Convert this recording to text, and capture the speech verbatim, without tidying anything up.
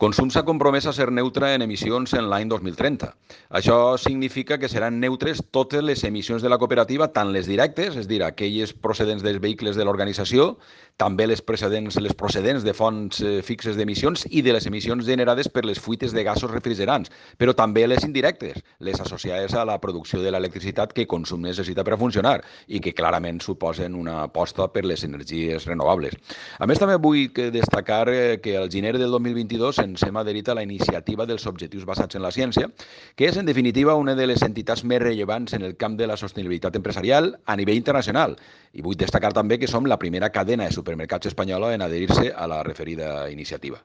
Consum s'ha compromès a ser neutre en emissions en l'any dos mil trenta. Això significa que seran neutres totes les emissions de la cooperativa, tant les directes, és a dir, aquelles procedents dels vehicles de l'organització, també les procedents, les procedents de fonts eh, fixes d'emissions i de les emissions generades per les fuites de gasos refrigerants, però també les indirectes, les associades a la producció de l'electricitat que Consum necessita per a funcionar i que clarament suposen una aposta per les energies renovables. A més, també vull destacar que al gener del dos mil vint-i-dos ens hem adherit a la iniciativa dels Objectius Basats en la Ciència, que és, en definitiva, una de les entitats més rellevants en el camp de la sostenibilitat empresarial a nivell internacional. I vull destacar també que som la primera cadena de supermercats espanyola en adherir-se a la referida iniciativa.